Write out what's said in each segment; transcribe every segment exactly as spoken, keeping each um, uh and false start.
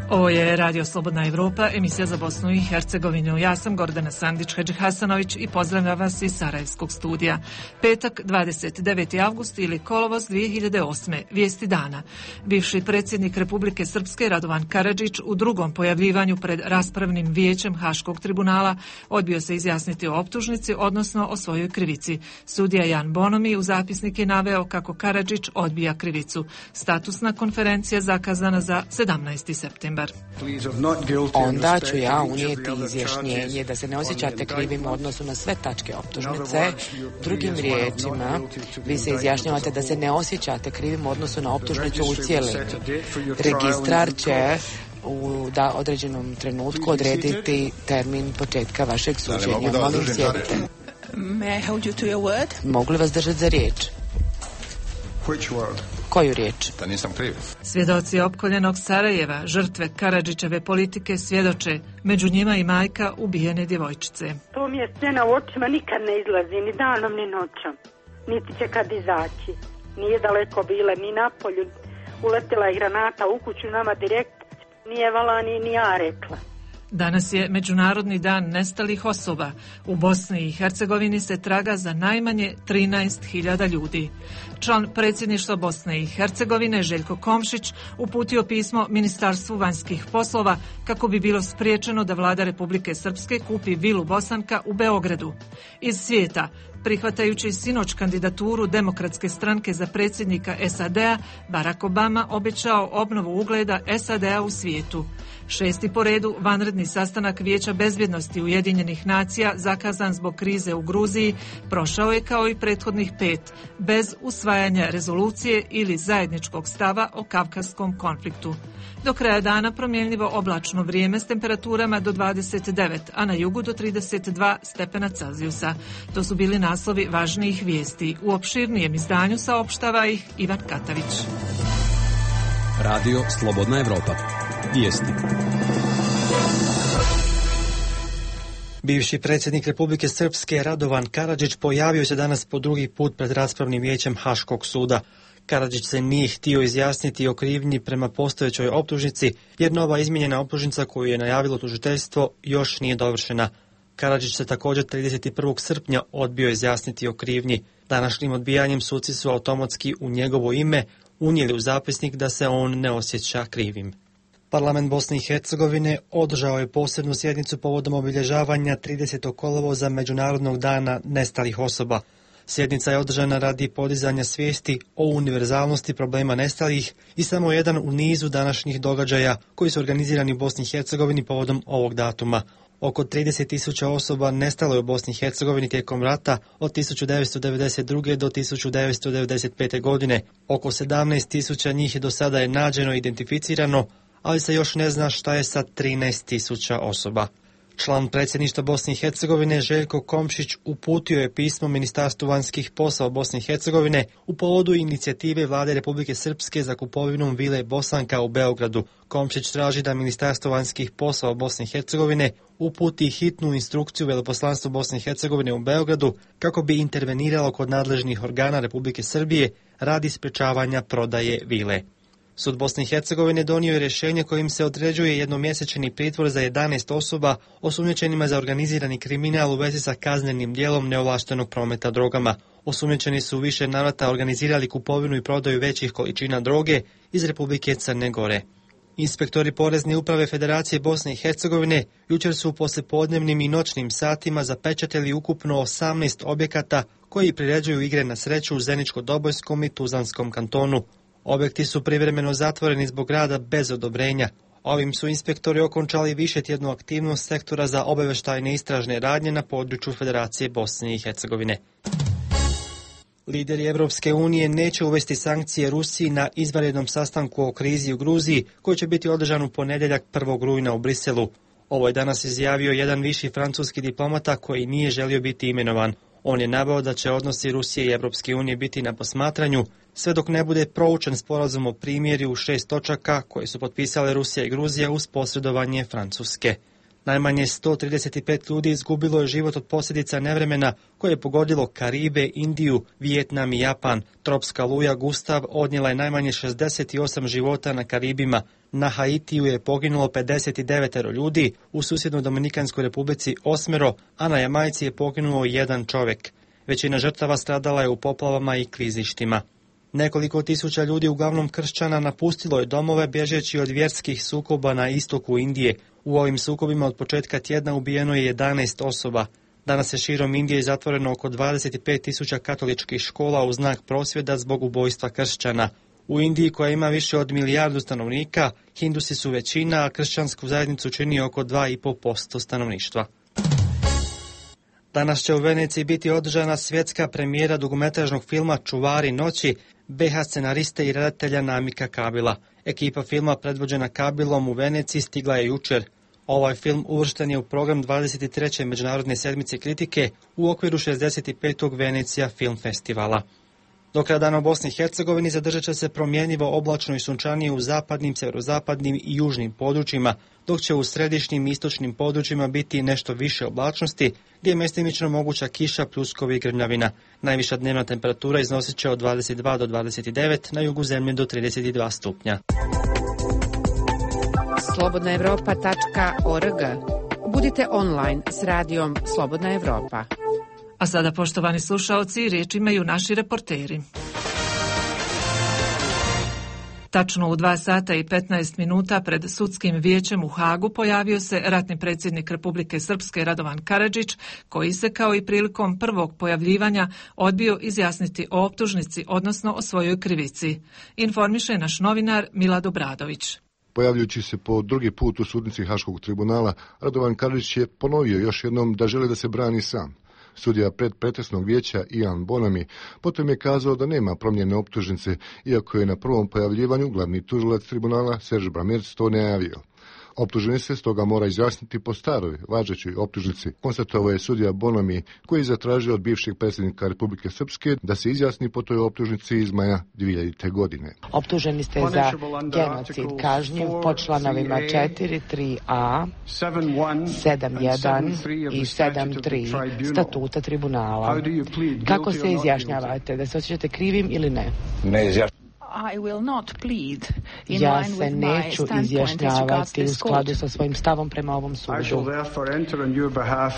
Ovo je Radio Slobodna Evropa, emisija za Bosnu i Hercegovinu. Ja sam Gordana Sandić-Hadžihasanović i pozdravljam vas iz Sarajevskog studija. Petak, dvadeset deveti avgust ili kolovoz dvije hiljade osme. Vijesti dana. Bivši predsjednik Republike Srpske Radovan Karadžić u drugom pojavljivanju pred raspravnim vijećem Haškog tribunala odbio se izjasniti o optužnici, odnosno o svojoj krivici. Sudija Jan Bonomi u zapisnik je naveo kako Karadžić odbija krivicu. Statusna konferencija zakazana za sedamnaesti septembar. Onda ću ja unijeti izjašnjenje da se ne osjećate krivim u odnosu na sve tačke optužnice. Drugim riječima, vi se izjašnjavate da se ne osjećate krivim u odnosu na optužnicu u cijelini. Registrar će u da određenom trenutku odrediti termin početka vašeg suđenja. Molim, sjedite. Mogu li vas držati za riječ? Koju riječ? Da nisam kriv. Svjedoci opkoljenog Sarajeva, žrtve Karadžićeve politike, svjedoče, među njima i majka ubijene djevojčice. To mi je scena u očima, nikad ne izlazi, ni danom, ni noćom. Niti će kad izaći. Nije daleko bila, ni na polju. Uletila je granata u kuću nama direkt, nije vala ni, ni ja rekla. Danas je Međunarodni dan nestalih osoba. U Bosni i Hercegovini se traga za najmanje trinaest hiljada ljudi. Član predsjedništva Bosne i Hercegovine Željko Komšić uputio pismo Ministarstvu vanjskih poslova kako bi bilo spriječeno da vlada Republike Srpske kupi vilu Bosanka u Beogradu. Iz svijeta, prihvatajući sinoć kandidaturu Demokratske stranke za predsjednika S A D-a, Barack Obama obećao obnovu ugleda S A D-a u svijetu. Šesti po redu vanredni sastanak Vijeća bezbjednosti Ujedinjenih nacija zakazan zbog krize u Gruziji prošao je kao i prethodnih pet, bez usvajanja rezolucije ili zajedničkog stava o kavkazskom konfliktu. Do kraja dana promjenljivo oblačno vrijeme s temperaturama do dvadeset devet, a na jugu do trideset dva stepena Celzijusa. To su bili naslovi važnijih vijesti. U opširnijem izdanju saopštava ih Ivan Katavić. Radio Slobodna Evropa. Vijesti. Bivši predsjednik Republike Srpske Radovan Karadžić pojavio se danas po drugi put pred raspravnim vijećem Haškog suda. Karadžić se nije htio izjasniti o krivnji prema postojećoj optužnici, jer nova izmijenjena optužnica koju je najavilo tužiteljstvo još nije dovršena. Karadžić se također trideset prvog srpnja odbio izjasniti o krivnji. Današnjim odbijanjem suci su automatski u njegovo ime unijeli u zapisnik da se on ne osjeća krivim. Parlament Bosne i Hercegovine održao je posebnu sjednicu povodom obilježavanja tridesetog kolovoza Međunarodnog dana nestalih osoba. Sjednica je održana radi podizanja svijesti o univerzalnosti problema nestalih i samo jedan u nizu današnjih događaja koji su organizirani u Bosni i Hercegovini povodom ovog datuma. Oko trideset tisuća osoba nestalo je u Bosni i Hercegovini tijekom rata od tisuću devetsto devedeset druge. do tisuću devetsto devedeset pete. godine. Oko sedamnaest tisuća njih do sada je nađeno i identificirano, ali se još ne zna šta je sa trinaest tisuća osoba. Član predsjedništva Bosne i Hercegovine Željko Komšić uputio je pismo Ministarstvu vanjskih poslova Bosne i Hercegovine u povodu inicijative vlade Republike Srpske za kupovinom vile Bosanka u Beogradu. Komšić traži da Ministarstvo vanjskih poslova Bosne i Hercegovine uputi hitnu instrukciju veleposlanstvu Bosne i Hercegovine u Beogradu kako bi interveniralo kod nadležnih organa Republike Srbije radi sprečavanja prodaje vile. Sud Bosne i Hercegovine donio je rješenje kojim se određuje jednomjesečni pritvor za jedanaest osoba osumnjičenima za organizirani kriminal u vezi sa kaznenim djelom neovlaštenog prometa drogama. Osumnjičeni su više navrata organizirali kupovinu i prodaju većih količina droge iz Republike Crne Gore. Inspektori Porezne uprave Federacije Bosne i Hercegovine jučer su u poslijepodnevnim i noćnim satima zapečatili ukupno osamnaest objekata koji priređuju igre na sreću u Zeničko-Dobojskom i Tuzanskom kantonu. Objekti su privremeno zatvoreni zbog rada bez odobrenja. Ovim su inspektori okončali višetjednu aktivnost sektora za obavještajne istražne radnje na području Federacije Bosne i Hercegovine. Lideri Evropske unije neće uvesti sankcije Rusiji na izvanrednom sastanku o krizi u Gruziji, koji će biti održan u ponedjeljak prvog rujna u Briselu. Ovo je danas izjavio jedan viši francuski diplomata koji nije želio biti imenovan. On je naveo da će odnosi Rusije i Evropske unije biti na posmatranju, sve dok ne bude proučen sporazum o primirju u šest točaka koje su potpisale Rusija i Gruzija uz posredovanje Francuske. Najmanje sto trideset pet ljudi izgubilo je život od posljedica nevremena koje je pogodilo Karibe, Indiju, Vijetnam i Japan. Tropska luja Gustav odnijela je najmanje šezdeset osam života na Karibima. Na Haitiju je poginulo pedeset devet ljudi, u susjednoj Dominikanskoj republici osmero, a na Jamajci je poginuo jedan čovjek. Većina žrtava stradala je u poplavama i klizištima. Nekoliko tisuća ljudi, uglavnom kršćana, napustilo je domove bježeći od vjerskih sukoba na istoku Indije. U ovim sukobima od početka tjedna ubijeno je jedanaest osoba. Danas je širom Indije zatvoreno oko dvadeset pet tisuća katoličkih škola u znak prosvjeda zbog ubojstva kršćana. U Indiji, koja ima više od milijardu stanovnika, Hindusi su većina, a kršćansku zajednicu čini oko dva i pol posto stanovništva. Danas će u Veneciji biti održana svjetska premijera dugometražnog filma Čuvari noći be ha scenariste i redatelja Namika Kabila. Ekipa filma predvođena Kabilom u Veneciji stigla je jučer. Ovaj film uvršten je u program dvadeset treće Međunarodne sedmice kritike u okviru šezdeset petog Venecija film festivala. Do kraja dana u Bosni i Hercegovini zadržat će se promjenjivo oblačno i sunčanije u zapadnim, sjeverozapadnim i južnim područjima, dok će u središnjim i istočnim područjima biti nešto više oblačnosti, gdje je mjestimično moguća kiša, pljuskovi i grmljavina. Najviša dnevna temperatura iznosit će od dvadeset dva do dvadeset devet, na jugu zemlje do trideset dva stupnja. slobodna evropa tačka org. Budite online s radijom Slobodna Evropa. A sada, poštovani slušaoci, riječ imaju naši reporteri. Tačno u dva sata i petnaest minuta pred sudskim vijećem u Hagu pojavio se ratni predsjednik Republike Srpske Radovan Karadžić, koji se kao i prilikom prvog pojavljivanja odbio izjasniti o optužnici, odnosno o svojoj krivici. Informiše naš novinar Milad Obradović. Pojavljujući se po drugi put u sudnici Haškog tribunala, Radovan Karadžić je ponovio još jednom da želi da se brani sam. Sudija predpretresnog vijeća Ian Bonami potom je kazao da nema promjene optužnice, iako je na prvom pojavljivanju glavni tužilac tribunala Serž Bramerc to najavio. Optuženi se stoga mora izjasniti po staroj, važećoj optužnici, konstatovao je sudija Bonami, koji je zatražio od bivšeg predsjednika Republike Srpske da se izjasni po toj optužnici iz maja dvije hiljadite. godine. Optuženi ste za genocid kažnjiv po članovima četiri, tri a, sedam jedan i sedam tri statuta tribunala. Kako se izjašnjavate? Da se osjećate krivim ili ne? Ne izjašnjavate. Ja se neću izjašnjavati u skladu sa svojim stavom prema ovom sudu.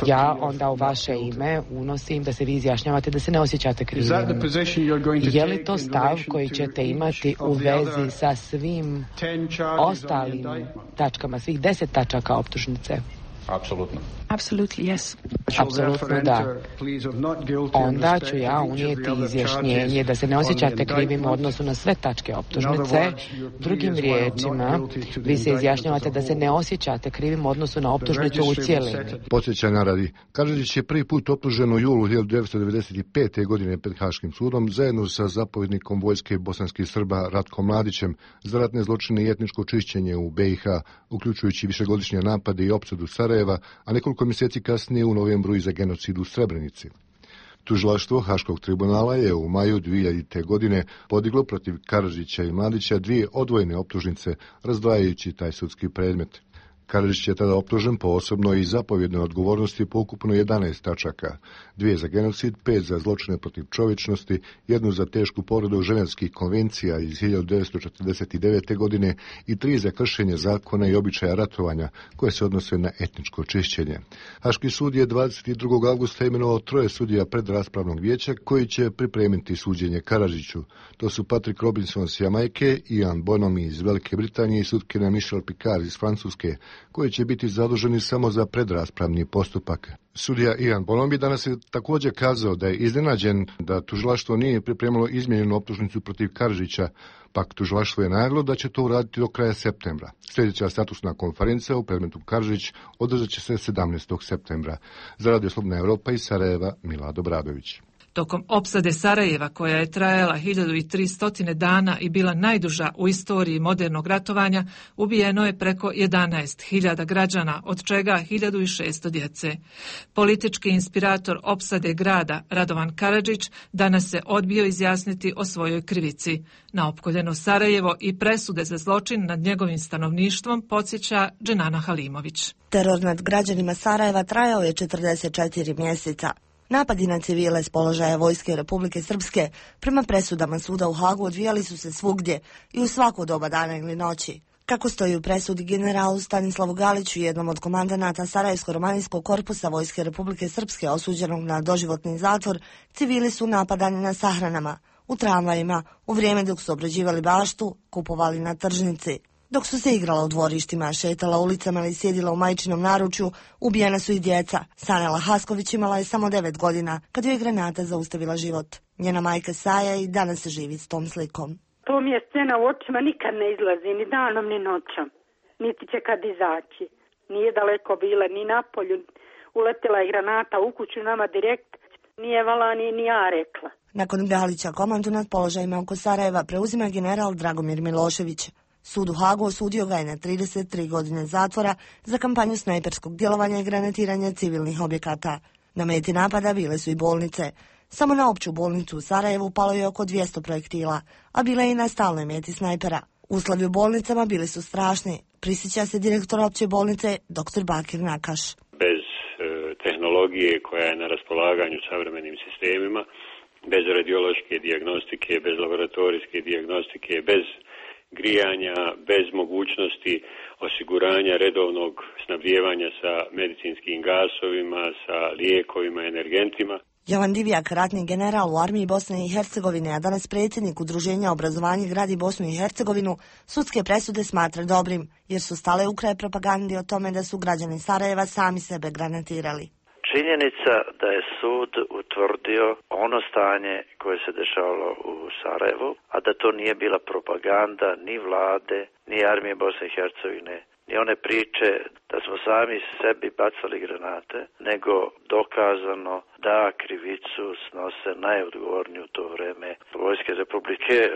Ja onda u vaše ime unosim da se vi izjašnjavate da se ne osjećate krivim. Je li to stav koji ćete imati u vezi sa svim ostalim tačkama, svih deset tačaka optužnice? Apsolutno. Absolutely, yes. Apsolutno da. Onda ću ja unijeti izjašnjenje da se ne osjećate krivim u odnosu na sve tačke optužnice. Drugim riječima, vi se izjašnjavate da se ne osjećate krivim u odnosu na optužnicu u cijelini. Podsjećanja radi, Karadžić je prvi put optužen u julu hiljadu devetsto devedeset pete. godine pred Haškim sudom zajedno sa zapovjednikom vojske bosanskih Srba Ratkom Mladićem za ratne zločine i etničko čišćenje u be i ha, uključujući višegodišnje napade i opsadu Sarajeva, a nekoliko mjeseci kasnije u novembru i za genocid u Srebrenici. Tužilaštvo Haškog tribunala je u maju dvije hiljadite. godine podiglo protiv Karadžića i Mladića dvije odvojene optužnice, razdvajajući taj sudski predmet. Karadžić je tada optužen po osobnoj i zapovjednoj odgovornosti po ukupno jedanaest tačaka, dvije za genocid, pet za zločine protiv čovječnosti, jednu za tešku povredu ženevskih konvencija iz hiljadu devetsto četrdeset devete. godine i tri za kršenje zakona i običaja ratovanja koje se odnose na etničko čišćenje. Haški sud je dvadeset drugog avgusta imenovao troje sudija predraspravnog vijeća koji će pripremiti suđenje Karadžiću. To su Patrick Robinson s Jamajke, Ian Bonami iz Velike Britanije i sutkinja Michelle Picard iz Francuske, koji će biti zaduženi samo za predraspravni postupak. Sudija Ian Bonami danas je također kazao da je iznenađen da tužilaštvo nije pripremilo izmijenjenu optužnicu protiv Karadžića, pak tužilaštvo je najavilo da će to uraditi do kraja septembra. Sljedeća statusna konferencija u predmetu Karadžić održat će se sedamnaestog septembra. Za Radio Slobodna Evropa iz Sarajeva, Milad Obradović. Tokom opsade Sarajeva, koja je trajala hiljadu tristo dana i bila najduža u istoriji modernog ratovanja, ubijeno je preko jedanaest hiljada građana, od čega hiljadu šesto djece. Politički inspirator opsade grada Radovan Karadžić danas se odbio izjasniti o svojoj krivici. Na opkoljeno Sarajevo i presude za zločin nad njegovim stanovništvom podsjeća Dženana Halimović. Teror nad građanima Sarajeva trajao je četrdeset četiri mjeseca. Napadi na civile s položaja Vojske Republike Srpske prema presudama suda u Hagu odvijali su se svugdje i u svako doba dana ili noći. Kako stoji u presudi generalu Stanislavu Galiću, jednom od komandanata Sarajevsko-romanijskog korpusa Vojske Republike Srpske osuđenog na doživotni zatvor, civili su napadani na sahranama, u tramvajima, u vrijeme dok su obrađivali baštu, kupovali na tržnici. Dok su se igrala u dvorištima, šetala ulicama ili sjedila u majčinom naručju, ubijena su i djeca. Sanela Hasković imala je samo devet godina kad joj je granata zaustavila život. Njena majka Saja i danas se živi s tom slikom. To mi je scena u očima, nikad ne izlazi, ni danom, ni noćom. Niti će kad izaći. Nije daleko bila, ni napolju. Uletila je granata u kuću nama direkt. Nije vala ni, ni ja rekla. Nakon Galića komandu nad položajima oko Sarajeva preuzima general Dragomir Milošević. Sud u Hagu osudio ga je na trideset tri godine zatvora za kampanju snajperskog djelovanja i granatiranja civilnih objekata. Na meti napada bile su i bolnice. Samo na opću bolnicu u Sarajevu palo je oko dvjesto projektila, a bile je i na stalnoj meti snajpera. Uslovi u bolnicama bili su strašni, prisjeća se direktor opće bolnice dr. Bakir Nakaš. Bez e, tehnologije koja je na raspolaganju savremenim sistemima, bez radiološke dijagnostike, bez laboratorijske dijagnostike, bez grijanja, bez mogućnosti osiguranja redovnog snabdijevanja sa medicinskim gasovima, sa lijekovima, energentima. Jovan Divjak, ratni general u armiji Bosne i Hercegovine, a danas predsjednik Udruženja obrazovanja gradi Bosnu i Hercegovinu, sudske presude smatra dobrim, jer su stale u kraj propagandi o tome da su građani Sarajeva sami sebe granatirali. Činjenica da je sud utvrdio ono stanje koje se dešavalo u Sarajevu, a da to nije bila propaganda ni vlade, ni armije Bosne i Hercegovine, ni one priče da smo sami sebi bacali granate, nego dokazano da krivicu snose najodgovorniji u to vreme Vojske Republike e,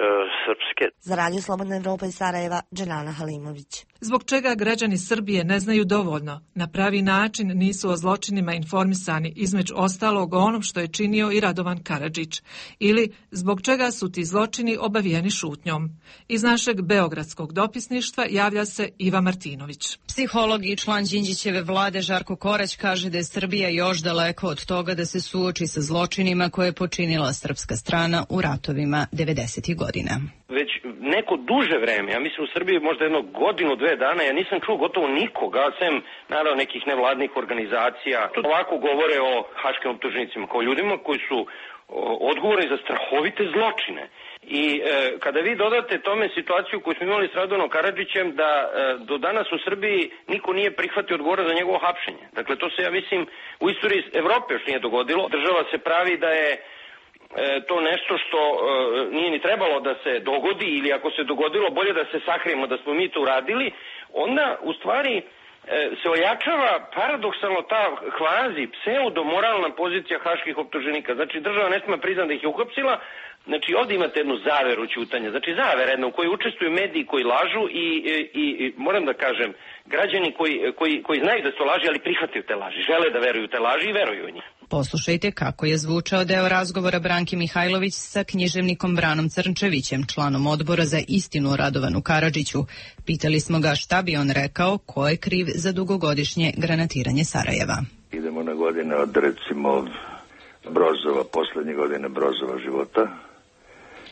Srpske. Za Radio Slobodna Evropa iz Sarajeva, Dženana Halimović. Zbog čega građani Srbije ne znaju dovoljno, na pravi način nisu o zločinima informisani, između ostalog o onom što je činio i Radovan Karadžić, ili zbog čega su ti zločini obavijeni šutnjom. Iz našeg beogradskog dopisništva javlja se Iva Martinović. Psiholog i član Đinđićeve vlade Žarko Korać kaže da je Srbija još daleko od toga da se suoči sa zločinima koje je počinila srpska strana u ratovima devedesetih godina. Već neko duže vreme, ja mislim u Srbiji možda jedno godinu, dve dana, ja nisam čuo gotovo nikoga, sem naravno nekih nevladnih organizacija. Ovako govore o haškim optuženicima, kao ljudima koji su odgovorni za strahovite zločine. I e, kada vi dodate tome situaciju koju smo imali s Radovanom Karadžićem, da e, do danas u Srbiji niko nije prihvatio odgovora za njegovo hapšenje. Dakle, to se, ja mislim, u istoriji Evrope još nije dogodilo. Država se pravi da je to nešto što e, nije ni trebalo da se dogodi, ili ako se dogodilo, bolje da se sakrijemo da smo mi to uradili, onda u stvari e, se ojačava paradoksalno ta kvazi pseudo-moralna pozicija haških optuženika. Znači država ne smije priznati da ih je uhapsila. Znači ovdje imate jednu zaveru ćutanja, znači zavera jedna u kojoj učestvuju mediji koji lažu i, i, i moram da kažem, građani koji, koji, koji znaju da su to laži, ali prihvataju te laži, žele da veruju te laži i veruju u njih. Poslušajte kako je zvučao deo razgovora Branki Mihajlović sa književnikom Branom Crnčevićem, članom odbora za istinu o Radovanu Karadžiću. Pitali smo ga šta bi on rekao, ko je kriv za dugogodišnje granatiranje Sarajeva. Idemo na godine od recimo Brozova, posljednje godine Brozova života,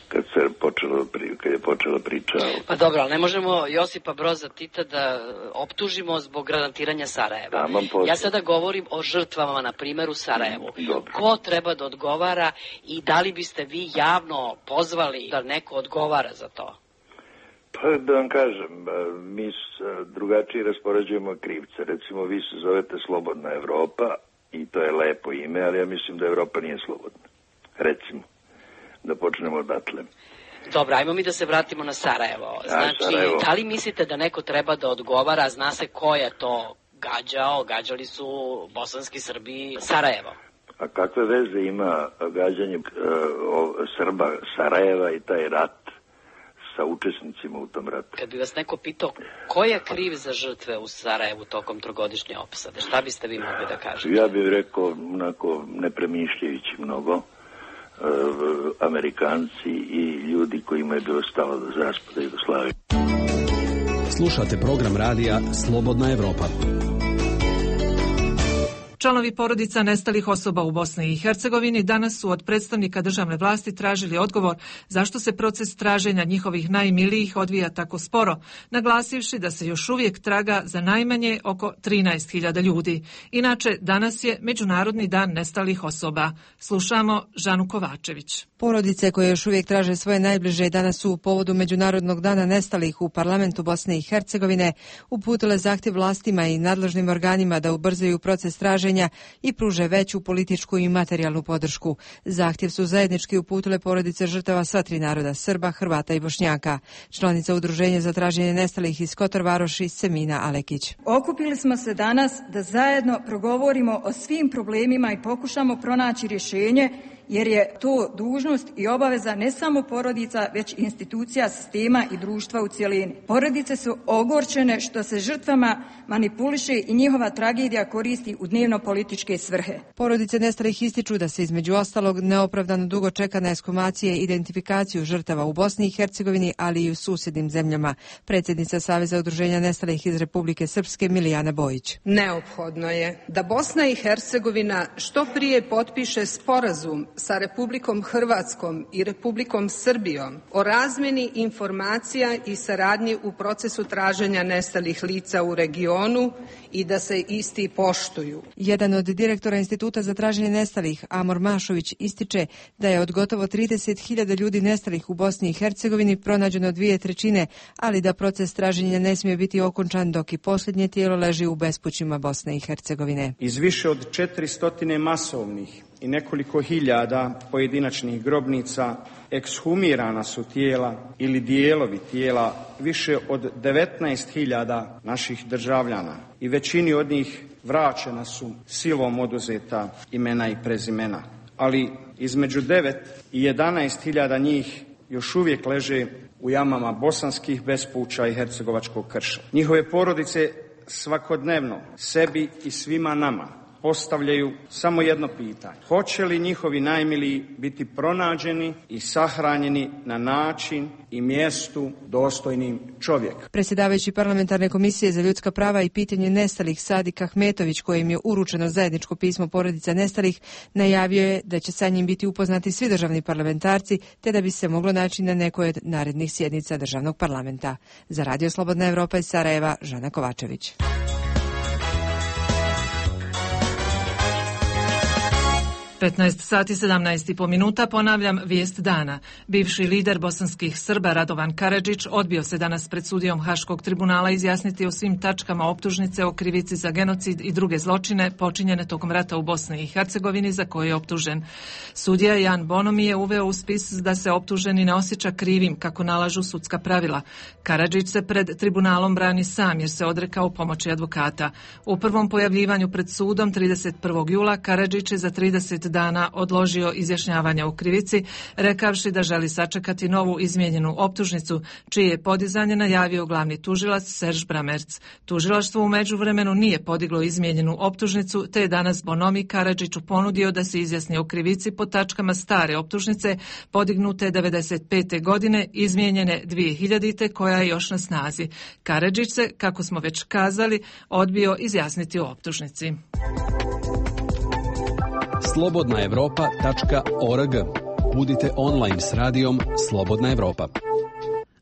kad se počelo, kad je počela priča. Pa dobro, ali ne možemo Josipa Broza Tita da optužimo zbog granatiranja Sarajeva. Ja sada govorim o žrtvama, na primjer, u Sarajevu. Dobro. Ko treba da odgovara i da li biste vi javno pozvali da neko odgovara za to? Pa da vam kažem, mi drugačije raspoređujemo krivce. Recimo, vi se zovete Slobodna Evropa i to je lepo ime, ali ja mislim da Evropa nije slobodna. Recimo. Da počnemo odatle. Dobro, ajmo mi da se vratimo na Sarajevo. Znači, ja, Sarajevo. Da li mislite da neko treba da odgovara, zna se ko je to gađao, gađali su bosanski Srbi Sarajevo? A kakve veze ima gađanje uh, Srba Sarajeva i taj rat sa učesnicima u tom ratu? Kad bi vas neko pitao ko je kriv za žrtve u Sarajevu tokom trogodišnje opsade, šta biste vi mogli da kažete? Ja bih rekao, onako, ne premišljajući mnogo, uh, Amerikanci i ljudi kojima je bilo stalo do raspada Jugoslavije. Slušate program radija Slobodna Evropa. Članovi porodica nestalih osoba u Bosni i Hercegovini danas su od predstavnika državne vlasti tražili odgovor zašto se proces traženja njihovih najmilijih odvija tako sporo, naglasivši da se još uvijek traga za najmanje oko trinaest hiljada ljudi. Inače, danas je Međunarodni dan nestalih osoba. Slušamo Žanu Kovačević. Porodice koje još uvijek traže svoje najbliže danas su u povodu Međunarodnog dana nestalih u parlamentu Bosne i Hercegovine uputile zahtjev vlastima i nadležnim organima da ubrzaju proces traženja i pruže veću političku i materijalnu podršku. Zahtjev su zajednički uputile porodice žrtava sva tri naroda, Srba, Hrvata i Bošnjaka. Članica Udruženja za traženje nestalih iz Kotor Varoši, Semina Alekić. Okupili smo se danas da zajedno progovorimo o svim problemima i pokušamo pronaći rješenje, jer je to dužnost i obaveza ne samo porodica, već institucija, sistema i društva u cjelini. Porodice su ogorčene što se žrtvama manipuliše i njihova tragedija koristi u dnevno političke svrhe. Porodice nestalih ističu da se između ostalog neopravdano dugo čeka na ekshumacije i identifikaciju žrtava u Bosni i Hercegovini, ali i u susjednim zemljama. Predsjednica Saveza udruženja nestalih iz Republike Srpske Milijana Bojić. Neophodno je da Bosna i Hercegovina što prije potpiše sporazum sa Republikom Hrvatskom i Republikom Srbijom o razmjeni informacija i saradnji u procesu traženja nestalih lica u regionu i da se isti poštuju. Jedan od direktora Instituta za traženje nestalih, Amor Mašović, ističe da je od gotovo trideset hiljada ljudi nestalih u Bosni i Hercegovini pronađeno dvije trećine, ali da proces traženja ne smije biti okončan dok i posljednje tijelo leži u bespućima Bosne i Hercegovine. Iz više od četiristo masovnih i nekoliko hiljada pojedinačnih grobnica ekshumirana su tijela ili dijelovi tijela više od devetnaest hiljada naših državljana i većini od njih vraćena su silom oduzeta imena i prezimena. Ali između devet i jedanaest hiljada njih još uvijek leže u jamama bosanskih bespuća i hercegovačkog krša. Njihove porodice svakodnevno sebi i svima nama postavljaju samo jedno pitanje. Hoće li njihovi najmiliji biti pronađeni i sahranjeni na način i mjestu dostojnim čovjeka? Predsjedavajući Parlamentarne komisije za ljudska prava i pitanje nestalih Sadik Ahmetović, kojim je uručeno zajedničko pismo porodica nestalih, najavio je da će sa njim biti upoznati svi državni parlamentarci, te da bi se moglo naći na nekoj od narednih sjednica državnog parlamenta. Za Radio Slobodna Evropa iz Sarajeva, Žana Kovačević. petnaest sati sedamnaest i po minuta, ponavljam vijest dana. Bivši lider bosanskih Srba Radovan Karadžić odbio se danas pred sudijom Haškog tribunala izjasniti o svim tačkama optužnice o krivici za genocid i druge zločine počinjene tokom rata u Bosni i Hercegovini za koje je optužen. Sudija Jan Bonomi je uveo u spis da se optuženi ne osjeća krivim kako nalažu sudska pravila. Karadžić se pred tribunalom brani sam jer se odrekao pomoći advokata. U prvom pojavljivanju pred sudom trideset prvog jula Karadžić je za trideset dana odložio izjašnjavanje o krivici, rekavši da želi sačekati novu izmijenjenu optužnicu, čije je podizanje najavio glavni tužilac Serž Bramerc. Tužilaštvo u međuvremenu nije podiglo izmijenjenu optužnicu, te je danas Bonomi Karadžiću ponudio da se izjasni o krivici po tačkama stare optužnice, podignute devedeset pete godine, izmijenjene dvije hiljadite, koja je još na snazi. Karadžić se, kako smo već kazali, odbio izjasniti o optužnici. slobodna evropa tačka org. Budite online s radijom Slobodna Evropa.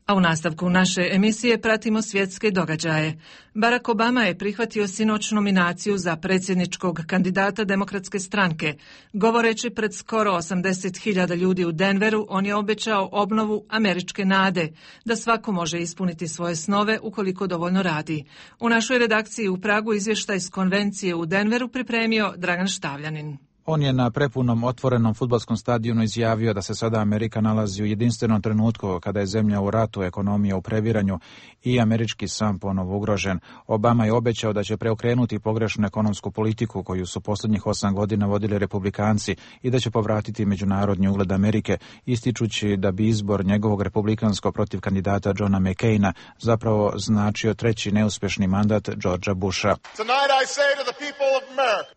A u nastavku naše emisije pratimo svjetske događaje. Barack Obama je prihvatio sinoć nominaciju za predsjedničkog kandidata Demokratske stranke. Govoreći pred skoro osamdeset hiljada ljudi u Denveru, on je obećao obnovu američke nade, da svako može ispuniti svoje snove ukoliko dovoljno radi. U našoj redakciji u Pragu izvještaj s konvencije u Denveru pripremio Dragan Štavljanin. On je na prepunom otvorenom fudbalskom stadionu izjavio da se sada Amerika nalazi u jedinstvenom trenutku kada je zemlja u ratu, ekonomija u previranju i američki san ponovo ugrožen. Obama je obećao da će preokrenuti pogrešnu ekonomsku politiku koju su posljednjih osam godina vodili republikanci i da će povratiti međunarodni ugled Amerike, ističući da bi izbor njegovog republikanskog protiv kandidata Johna McCaina zapravo značio treći neuspješni mandat Georgea Busha.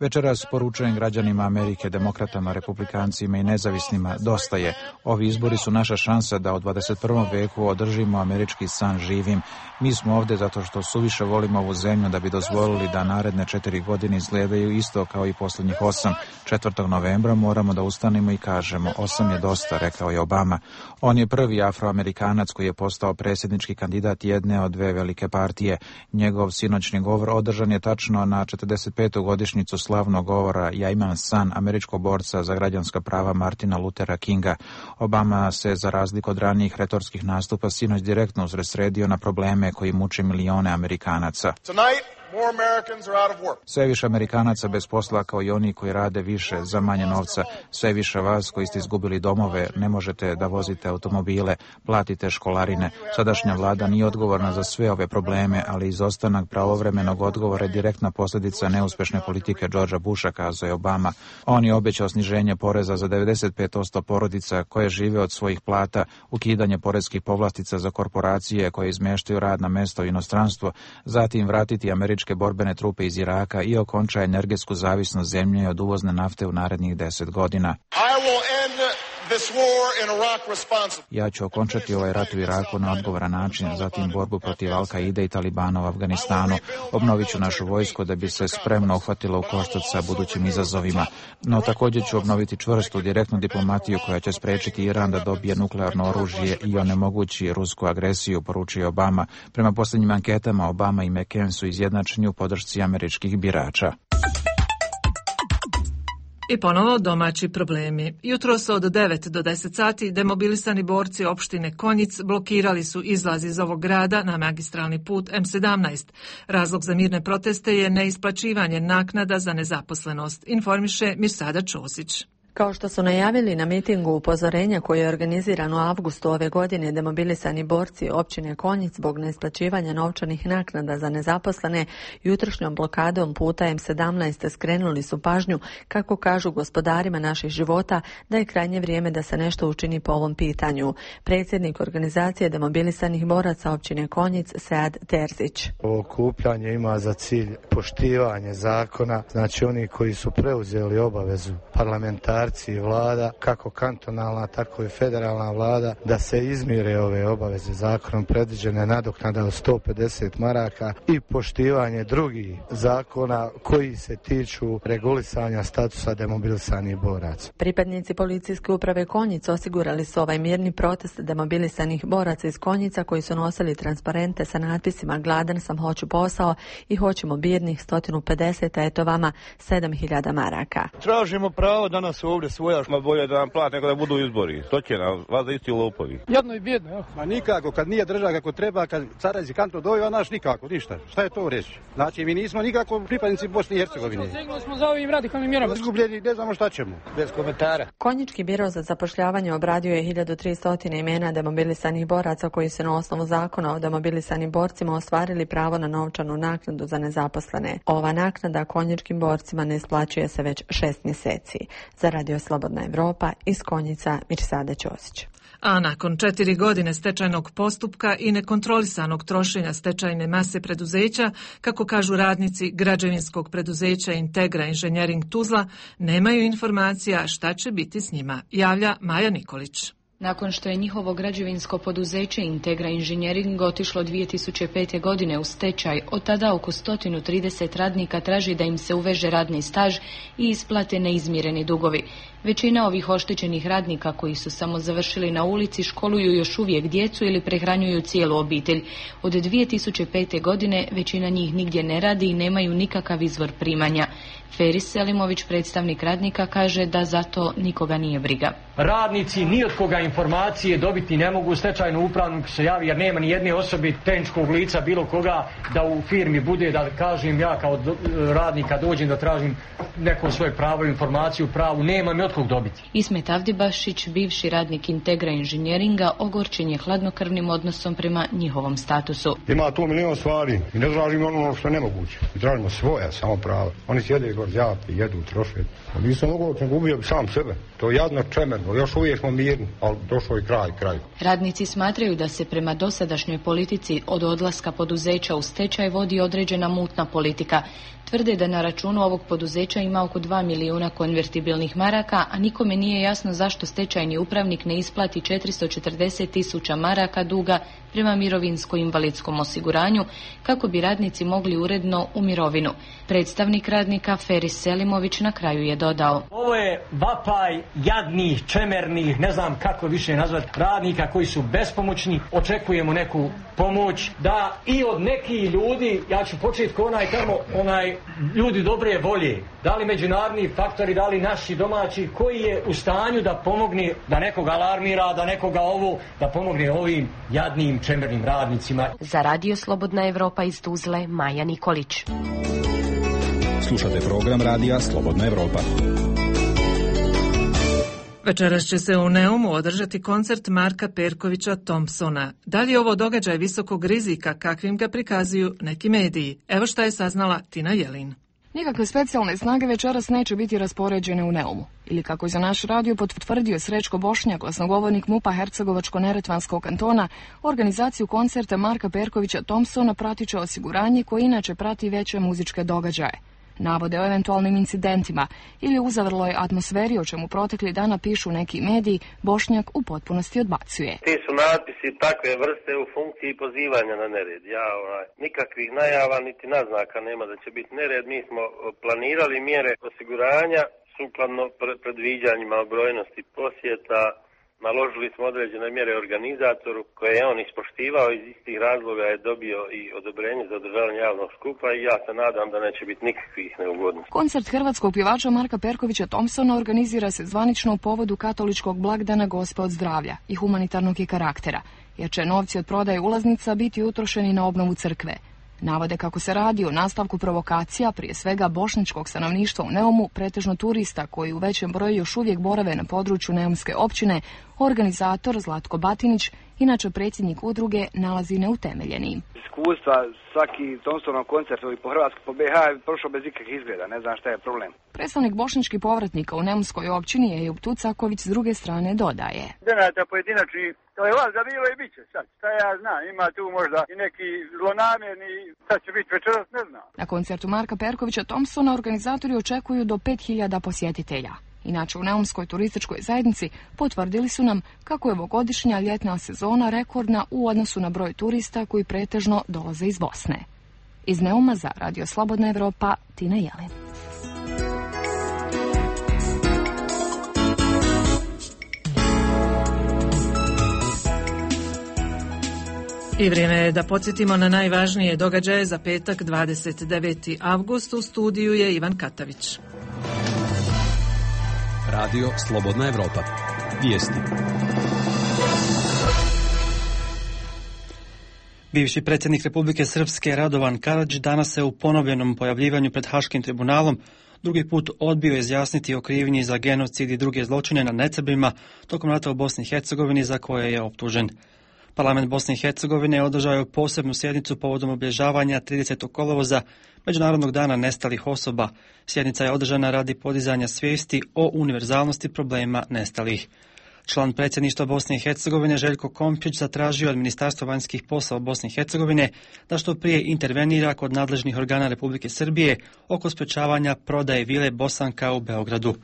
Večeras poručujem građanima Amerike, demokratama, republikancima i nezavisnima, dosta je. Ovi izbori su naša šansa da u dvadeset prvom veku održimo američki san živim. Mi smo ovdje zato što suviše volimo ovu zemlju da bi dozvolili da naredne četiri godine izgledaju isto kao i posljednjih osam. četvrtog novembra moramo da ustanemo i kažemo osam je dosta, rekao je Obama. On je prvi afroamerikanac koji je postao predsjednički kandidat jedne od dve velike partije. Njegov sinoćni govor održan je tačno na četrdeset petu godišnjicu slavnog govora Ja imam san američkog borca za građanska prava Martina Luthera Kinga. Obama se, za razliku od ranijih retorskih nastupa, sinoć direktno usredsredio na probleme koji muče milione Amerikanaca. Sve više Amerikanaca bez posla, kao i oni koji rade više za manje novca. Sve više vas koji ste izgubili domove, ne možete da vozite automobile, platite školarine. Sadašnja vlada nije odgovorna za sve ove probleme, ali izostanak pravovremenog odgovora je direktna posljedica neuspješne politike Georgea Busha, kazao je Obama. On je obećao sniženje poreza za devedeset pet posto porodica koje žive od svojih plata, ukidanje poreskih povlastica za korporacije koje izmeštaju radna mesta u inostranstvo, zatim vratiti američke borbene trupe iz Iraka i okonča energetsku zavisnost zemlje od uvozne nafte u narednih deset godina. Ja ću okončati ovaj rat u Iraku na odgovoran način, zatim borbu protiv Al-Kaide i Talibana u Afganistanu. Obnovit ću našu vojsku da bi se spremno uhvatila u koštac sa budućim izazovima. No također ću obnoviti čvrstu, direktnu diplomatiju koja će sprečiti Iran da dobije nuklearno oružje i onemogući rusku agresiju, poručio Obama. Prema posljednjim anketama, Obama i McCain su izjednačeni u podršci američkih birača. I ponovo domaći problemi. Jutros od devet do deset sati demobilisani borci opštine Konjic blokirali su izlaz iz ovog grada na magistralni put em sedamnaest. Razlog za mirne proteste je neisplaćivanje naknada za nezaposlenost, informiše Mirsada Ćosić. Kao što su najavili na mitingu upozorenja koji je organiziran u avgustu ove godine, demobilisani borci općine Konjic zbog neisplaćivanja novčanih naknada za nezaposlene jutrošnjom blokadom puta em sedamnaest skrenuli su pažnju, kako kažu gospodarima naših života, da je krajnje vrijeme da se nešto učini po ovom pitanju. Predsjednik organizacije demobilisanih boraca općine Konjic, Sead Terzić. Ovo okupljanje ima za cilj poštivanje zakona, znači oni koji su preuzeli obavezu parlamentarni i vlada, kako kantonalna, tako i federalna vlada, da se izmire ove obaveze zakonom predviđene nadoknada od sto pedeset maraka i poštivanje drugih zakona koji se tiču regulisanja statusa demobilisanih boraca. Pripadnici policijske uprave Konjic osigurali su ovaj mirni protest demobilisanih boraca iz Konjica koji su nosili transparente sa natpisima Gladan sam, hoću posao i hoćemo birnih sto pedeset, a eto vama sedam hiljada maraka. Tražimo pravo da nas ovdje svojaš, ma bolje da nam plate nego da budu izbori. To će nam, vas da isti lopovi. Jedno i bjedno, ja. Ma nikako, kad nije država kako treba, kad carezi kanto doju, a naš nikako, ništa. Šta je to reći? Znači, mi nismo nikako pripadnici Bosne i Hercegovine. Stegli smo za ovim radikalnim mjerama. Izgubljeni, ne znamo šta ćemo. Bez komentara. Konjički biro za zapošljavanje obradio je hiljadu tristo imena demobilisanih boraca koji su na osnovu zakona o demobilisanim borcima ostvarili pravo na novčanu naknadu za nezaposlene. Ova naknada konjičkim borcima ne isplaćuje se već šest mjeseci. Za Radio Slobodna Evropa, iz Konjica, Mirsada Ćosić. A nakon četiri godine stečajnog postupka i nekontrolisanog trošenja stečajne mase preduzeća, kako kažu radnici građevinskog preduzeća Integra Inženjering Tuzla, nemaju informacija šta će biti s njima, javlja Maja Nikolić. Nakon što je njihovo građevinsko poduzeće Integra Inženjering otišlo dvije tisuće pete. godine u stečaj, od tada oko sto trideset radnika traži da im se uveže radni staž i isplate neizmireni dugovi. Većina ovih oštećenih radnika koji su samo završili na ulici školuju još uvijek djecu ili prehranjuju cijelu obitelj. Od dvije tisuće pete. godine većina njih nigdje ne radi i nemaju nikakav izvor primanja. Feris Selimović, predstavnik radnika, kaže da zato nikoga nije briga. Radnici ni od koga informacije dobiti ne mogu, stečajnu upravnik se javi jer nema ni jedne osobe tehničkog lica bilo koga da u firmi bude, da kažem ja kao do, radnika dođem da tražim neko svoje pravo, informaciju, pravu, nema mi od kog dobiti. Ismet Avdibašić, bivši radnik Integra inženjeringa, ogorčen je hladnokrvnim odnosom prema njihovom statusu. Ima tu milion stvari i ne tražimo ono što je nemoguće. I tražimo svoja samo prava. Oni sjede i gorđapi, jedu, troše. Nisam mogao, sam gubio sam sebe. To je jadno čemerno, još uvijek smo mirni, ali došao i kraj, kraj. Radnici smatraju da se prema dosadašnjoj politici od odlaska poduzeća u stečaj vodi određena mutna politika. Tvrde da na računu ovog poduzeća ima oko dva milijuna konvertibilnih maraka, a nikome nije jasno zašto stečajni upravnik ne isplati četiristo četrdeset tisuća maraka duga prema mirovinsko-invalidskom osiguranju, kako bi radnici mogli uredno u mirovinu. Predstavnik radnika Feris Selimović na kraju je dodao: ovo je vapaj jadnih, čemernih, ne znam kako više nazvati, radnika koji su bespomoćni. Očekujemo neku pomoć, da i od nekih ljudi, ja ću početi ko onaj tamo, onaj ljudi dobre volje, da li međunarodni faktori, da li naši domaći, koji je u stanju da pomogne, da nekoga alarmira, da nekoga ovo, da pomogne ovim jadnim čemernim radnicima. Za Radio Slobodna Evropa iz Tuzle, Maja Nikolić. Slušate program Radija Slobodna Evropa. Večeras će se u Neumu održati koncert Marka Perkovića Thompsona. Da li je ovo događaj visokog rizika kakvim ga prikazuju neki mediji? Evo šta je saznala Tina Jelin. Nikakve specijalne snage večeras neće biti raspoređene u Neumu. Ili kako je za naš radio potvrdio Srećko Bošnjak, glasnogovornik MUP-a Hercegovačko-neretvanskog kantona, organizaciju koncerta Marka Perkovića Thompsona pratit će osiguranje koje inače prati veće muzičke događaje. Navode o eventualnim incidentima ili uzavrloj atmosferi, o čemu protekli dana pišu neki mediji, Bošnjak u potpunosti odbacuje. Ti su natpisi takve vrste u funkciji pozivanja na nered. Ja, onaj, nikakvih najava niti naznaka nema da će biti nered. Mi smo planirali mjere osiguranja sukladno predviđanjima o brojnosti posjeta. Naložili smo određene mjere organizatoru koje je on ispoštivao, iz istih razloga je dobio i odobrenje za održavanje javnog skupa i ja se nadam da neće biti nikakvih neugodnosti. Koncert hrvatskog pjevača Marka Perkovića Thompsona organizira se zvanično u povodu katoličkog blagdana Gospe od zdravlja i humanitarnog je karaktera, jer će novci od prodaje ulaznica biti utrošeni na obnovu crkve. Navode kako se radi o nastavku provokacija, prije svega bošnjačkog stanovništva u Neumu, pretežno turista koji u većem broju još uvijek borave na području Neumske općine, organizator Zlatko Batinić, inače predsjednik udruge, nalazi neutemeljenim. Iskustva, svaki Thompsonov koncert i po Hrvatskoj, po be ha je prošao bez ikakvih izgleda, ne znam šta je problem. Predstavnik bošnjačkih povratnika u Neumskoj općini Ejub Tucaković s druge strane dodaje. Denata pojedinačni, to je vas da bilo i bit će sad, šta ja znam, ima tu možda i neki zlonamjerni, sad će biti večeras, ne znam. Na koncertu Marka Perkovića Thompsona organizatori očekuju do pet hiljada posjetitelja. Inače, u Neumskoj turističkoj zajednici potvrdili su nam kako je ovogodišnja ljetna sezona rekordna u odnosu na broj turista koji pretežno dolaze iz Bosne. Iz Neuma za Radio Slobodna Evropa, Tina Jelin. I vrijeme je da podsjetimo na najvažnije događaje za petak dvadeset deveti avgust. U studiju je Ivan Katavić. Radio Slobodna Evropa. Vijesti. Bivši predsjednik Republike Srpske Radovan Karadžić danas se u ponovljenom pojavljivanju pred Haškim tribunalom drugi put odbio izjasniti o krivnji za genocid i druge zločine nad nesrbima tokom rata u Bosni i Hercegovini za koje je optužen. Parlament Bosne i Hercegovine je održao posebnu sjednicu povodom obilježavanja tridesetog kolovoza Međunarodnog dana nestalih osoba. Sjednica je održana radi podizanja svijesti o univerzalnosti problema nestalih. Član predsjedništva Bosne i Hercegovine Željko Komšić zatražio od Ministarstva vanjskih poslova Bosne i Hercegovine da što prije intervenira kod nadležnih organa Republike Srbije oko sprečavanja prodaje vile Bosanka u Beogradu.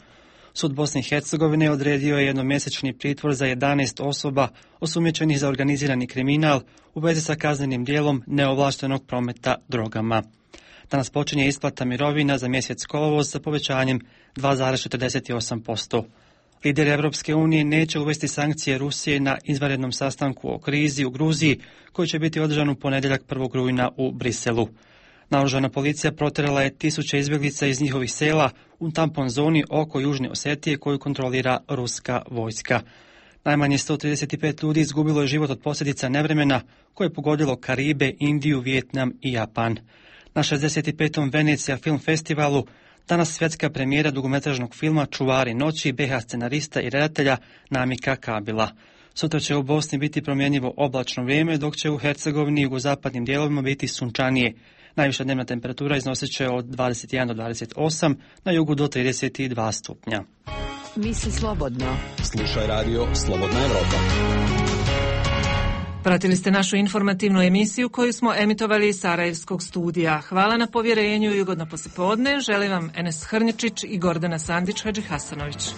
Sud Bosne i Hercegovine odredio je jednomjesečni pritvor za jedanaest osoba osumnjičenih za organizirani kriminal u vezi sa kaznenim djelom neovlaštenog prometa drogama. Danas počinje isplata mirovina za mjesec kolovoz sa povećanjem dva zarez četrdeset osam posto. Lideri Europske unije neće uvesti sankcije Rusije na izvanrednom sastanku o krizi u Gruziji, koji će biti održan u ponedjeljak prvog rujna u Briselu. Naoružana policija protjerala je tisuće izbjeglica iz njihovih sela u tampon zoni oko Južne Osetije koju kontrolira ruska vojska. Najmanje sto trideset pet ljudi izgubilo je život od posljedica nevremena koje je pogodilo Karibe, Indiju, Vijetnam i Japan. Na šezdeset petom Venecija film festivalu danas svjetska premijera dugometražnog filma Čuvari noći be ha scenarista i redatelja Namika Kabila. Sutra će u Bosni biti promjenjivo oblačno vrijeme, dok će u Hercegovini i jugozapadnim dijelovima biti sunčanije. Najviša dnevna temperatura iznosit će od dvadeset jedan do dvadeset osam, na jugu do trideset dva stupnja. Misli slobodno. Slušaj radio Slobodna Evropa. Pratili ste našu informativnu emisiju koju smo emitovali iz Sarajevskog studija. Hvala na povjerenju i ugodno poslijepodne. Želim vam Enes Hrnječić i Gordana Sandić Hadžihasanović.